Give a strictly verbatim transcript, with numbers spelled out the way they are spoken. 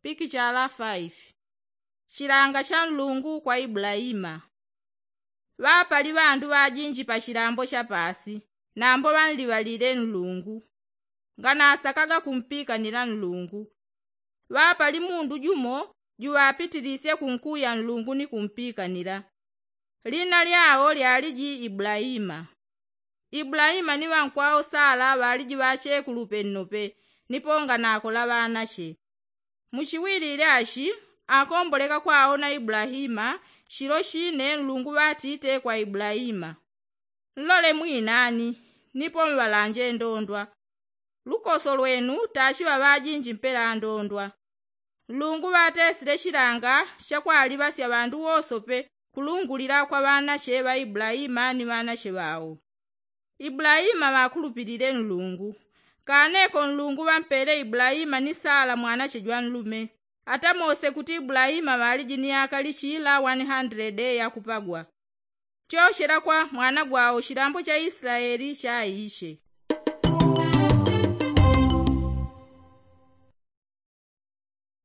Pikichala faifi. Chilanga cha nlungu kwa ibulaima. Ŵapali ŵandu ŵajinji pa chilambo cha paasi, nambo ŵanliŵalile nlungu. Nganasakaga kumpikanila nlungu. Ŵapali mundu jumo juŵapitilisye kunkuya nlungu ni kumpikanila. Lina lyao lyaliji ibulaima. Ibulaima ni ŵankwao sala ŵaliji ŵachekulu pennope, nipo nganakola ŵanache. Muchiwilile achi, akomboleka kwaona ibulaima. Chilo chine nlungu ŵatite kwa ibulaima, nlole mwinani, nipo mŵalanje ndondwa. Lukoso lwenu tachiŵa ŵajinji mpela ndondwa. Nlungu ŵatesile chilanga chakwaliŵasya ŵandu wosope kulungulila kwa ŵanache ŵa ibulaima ni ŵanache ŵao. Ibulaima ŵakulupilile nlungu. Kaneko nlungu ŵampele ibulaima ni sala mwanache jwanlume. Atamose kuti ibulaima ŵaliji ni akalichila 100 yakupagwa. Chochela kwa mwana gwao chilambo cha islaeli chaiche.